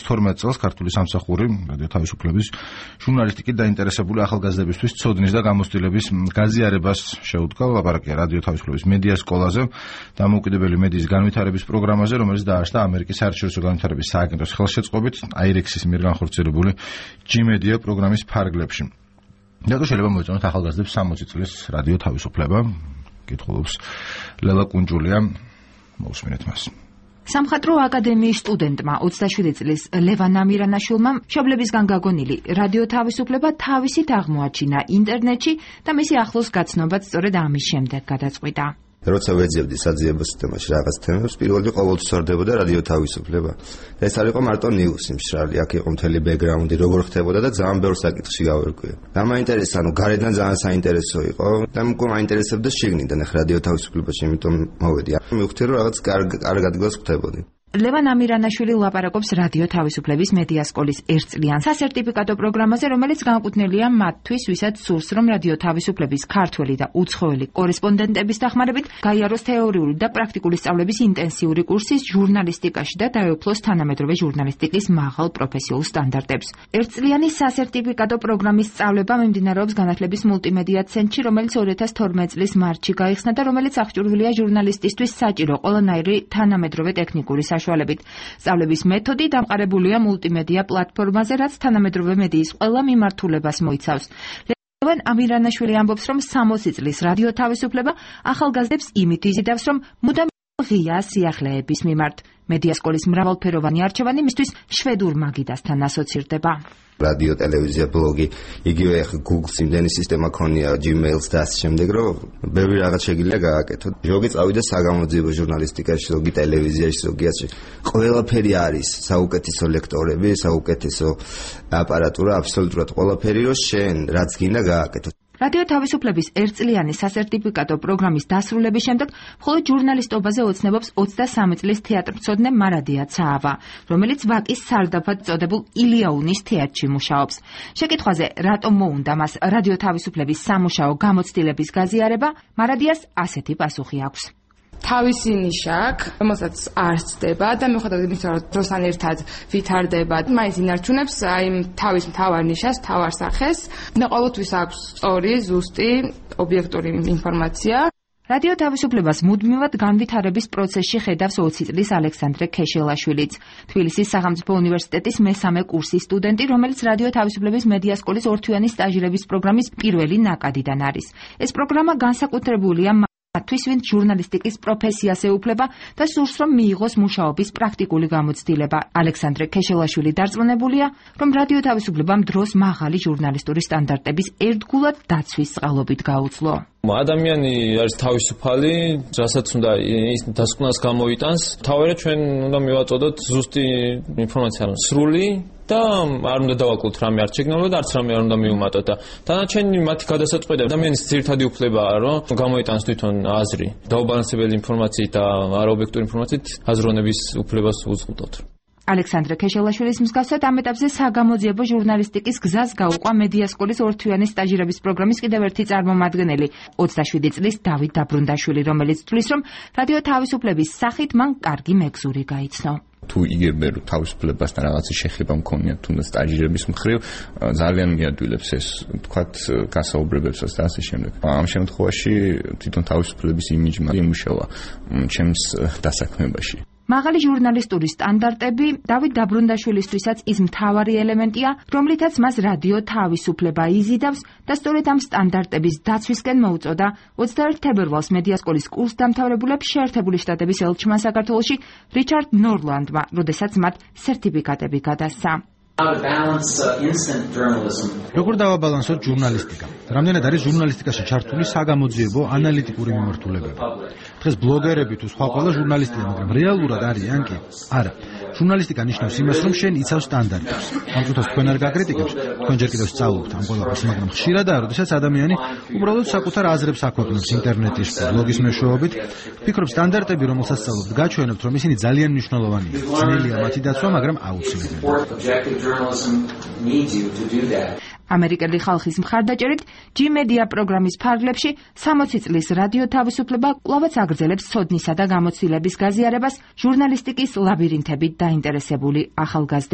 2012 წელს ქართული სამსახური რადიო თავისუფლების ჟურნალისტიკით დაინტერესებული ახალგაზრდებისთვის ცოდნის და გამოცდილების გაზიარებას შეუდგა. ლაპარაკია რადიო თავისუფლების მედია სკოლაზე, დამოუკიდებელი მედიის განვითარების პროგრამაზე, რომელიც დაარსდა ამერიკის საერთაშორისო განვითარების სააგენტოს ხელშეწყობით IREX-ის მიერ განხორციელებული G-Media პროგრამის ფარგლებში. რატო შეიძლება მოეწონათ ახალგაზრდებს 60 წლის რადიო თავისუფლება? კითხულობს ლელა კუნჯულია. მოусმინეთ მას. სამხატვრო აკადემიის სტუდენტმა 27 წლის ლევან ამირანაშვილმა მშობლებისგან გაგონილი რადიო თავისუფლება თავისით აღმოაჩინა ინტერნეტში და მისი ახლოს გაცნობაც სწორედ ამის შემდეგ გადაწყვიტა. როცა ვეძებდი საძიებო სისტემაში რაღაც თემებს, პირველი ყოველთვის სორდებოდა რადიო თავისუფლება. ეს არ იყო მარტო ნიუსი მშრალი, აქ იყო მთელი ბექგრაუნდი, როგორ ხდებოდა და ძალიან ბევრ საკითხში გავერკვე. და მაინტერესა, გარედან ძალიან საინტერესო იყო და მგონი მაინტერესებდა შიგნიდან ახ რადიო თავისუფლებაში, იმიტომ მოვედი. მივხვდი, რომ რაღაც კარგ ადგილას ხდებოდი. ლევან ამირანაშვილი ლაპარაკობს რადიო თავისუფლების მედია სკოლის ერთწლიან სასერტიფიკატო პროგრამაზე, რომელიც განკუთვნილია მათთვის, ვისაც სურს, რომ რადიო თავისუფლების ქართველი და უცხოელი კორესპონდენტების დახმარებით გაიაროს თეორიული და პრაქტიკული სწავლების ინტენსიური კურსის ჟურნალისტიკაში და დაეუფლოს თანამედროვე ჟურნალისტიკის მაღალ პროფესიულ სტანდარტებს. ერთწლიანი სასერტიფიკატო პროგრამის სწავლება მიმდინარეობს განათლების მულტიმედია ცენტრში, რომელიც 2012 წლის მარტში გაიხსნა და რომელიც აღჭურვილია ჟურნალისტისთვის საჭირო ყველანაირი თანამედროვე ტექნიკური სწავლების მეთოდი დამყარებულია მულტიმედია პლატფორმაზე, რაც თანამედროვე მედიის ყველა მიმართულებას მოიცავს. ლევან ამირანაშვილი ამბობს, რომ 60 წლის რადიო თავისუფლება ახალგაზრდებს იმით იზიდავს, რომ მუდამ ღია სიახლეების მიმართ. მედია სკოლის მრავალფეროვანი არჩევანი მისთვის შვედურ მაგიდასთან ასოცირდება. რადიო, ტელევიზია, ბლოგი, იგივე Google-ს იმდენი სისტემა ქონია, Gmail-ს და ასე შემდეგ, რომ ბევრი რაღაც შეგიძლია გააკეთო. ზოგი წავიდა საგამოძიებო ჟურნალისტიკაში, ზოგი ტელევიზიაში, ზოგი ასე. ყველაფერი არის, საუკეთესო ლექტორები, საუკეთესო აპარატურა, აბსოლუტურად ყველაფერი, რომ შენ რაც გინდა გააკეთო. რადიო თავისუფლების ერთწლიანი სასერტიფიკატო პროგრამის დასრულების შემდეგ მხოლოდ ჟურნალისტობაზე ოცნებობს 23 წლის თეატრმცოდნე მარადია ცაავა, რომელიც ვაკის სარდაფად წოდებულ ილიაუნის თეატრში მუშაობს. შეკითხვაზე, რატომ მოუნდა მას რადიო თავისუფლების სამუშაო გამოცდილების გაზიარება, მარადიას ასეთი პასუხი აქვს. თავისი ნიშა აქვს, რომელსაც არ ცდება და მიუხედავად იმისა, რომ დროსთან ერთად ვითარდება, მაინც ინარჩუნებს აი თავის მთავარ ნიშას, მთავარ სახეს და ყოველთვის აქვს სწორი, ზუსტი, ობიექტური ინფორმაცია. რადიო თავისუფლებას მუდმივად განვითარების პროცესში ხედავს 20 წლის ალექსანდრე ქეშელაშვილიც, თბილისის სახელმწიფო უნივერსიტეტის მესამე კურსის სტუდენტი, რომელიც რადიო თავისუფლების მედია სკოლის ორთვიანი სტაჟირების პროგრამის პირველი ნაკადიდან არის. ეს პროგრამა განსაკუთრებულია მათთვის, ვინც ჟურნალისტიკის პროფესიას ეუფლება და სურს, რომ მიიღოს მუშაობის პრაქტიკული გამოცდილება. ალექსანდრე ქეშელაშვილი დარწმუნებულია, რომ რადიო თავისუფლებამ დროს მაღალი ჟურნალისტური სტანდარტების ერთგულად დაცვის წყალობით გაუძლო. ადამიანი არის თავისუფალი, რასაც უნდა ის დასკვნას გამოიტანს. თავარია ჩვენ უნდა მივაწოდოთ ზუსტი ინფორმაცია, სრული და არ უნდა დავაკლოთ რამე არ შეგნალო და არც რამე არ უნდა მიუმატოთ და დანარჩენი მათი გადასაწყვეტა ადამიანის ძირითადი უფლებაა, რომ გამოიტანს თვითონ აზრი. დაუბალანსებელი ინფორმაციით და არაობიექტური ინფორმაციით აზროვნების უფლებას უზღუდოთ. ალექსანდრე ქეშელაშვილის მსგავსად ამ ეტაპზე საგამოძიებო ჟურნალისტიკის გზას გაუყვა მედია სკოლის ორთვიანი სტაჟირების პროგრამის კიდევ ერთი წარმომადგენელი, 27 წლის დავით დაბრუნდაშვილი, რომელიც თვლის, რომ რადიო თავისუფლების სახით მან კარგი მეგზური გაიცნო. თუ იგებენ რომ თავისუფლებასთან რაღაცა შეხება მქონია თუნდაც სტაჟირების მხრივ, ძალიან მიადვილებს ეს თქვათ გასაუბრებებსაც და ასე შემდეგ. ამ შემთხვევაში თვითონ თავისუფლების იმიჯმა იმუშავა ჩემს დასაქმებაში. მაღალი ჟურნალისტური სტანდარტები დავით დაბრუნდაშვილისთვისაც ის მთავარი ელემენტია, რომლითაც მას რადიო თავისუფლება იზიდავს და სწორედ ამ სტანდარტების დაცვისკენ მოუწოდა 21 თებერვალს მედია სკოლის კურსდამთავრებულებს შეერთებული შტატების ელჩმა საქართველოში რიჩარდ ნორლანდმა, როდესაც მათ სერტიფიკატები გადასცა. როგორ დავაბალანსოთ ჟურნალისტიკა? რამდენად არის ჟურნალისტიკაში ჩართული საგამოძიებო ანალიტიკური მიმართულებები? დღეს ბლოგერები თუ სხვა ყველა ჟურნალისტია, მაგრამ რეალურად არიან კი? არა. ჟურნალისტიკა ნიშნავს იმას, რომ შენ იცავ სტანდარტებს. ამ დროს თქვენ არ გაკრიტიკებთ, თქვენ ჯერ კიდევ სწავლობთ ამ ყველაფერს, მაგრამ ხშირადაა, როდესაც ადამიანი უბრალოდ საკუთარ აზრებს აქვეყნებს ინტერნეტის, ბლოგის მეშვეობით, ფიქრობ სტანდარტები, რომელსაც სწავლობთ, გაჩვენებთ, რომ ისინი ძალიან მნიშვნელოვანია. ძნელია მათი დაცვა, მაგრამ აუცილებელია. ამერიკელი ხალხის მხარდაჭერით G-Media პროგრამის ფარგლებში 60 წლის რადიო თავისუფლება კვლავაც აგრძელებს ცოდნისა და გამოცდილების გაზიარებას ჟურნალისტიკის ლაბირინთებით დაინტერესებული ახალგაზრდებს.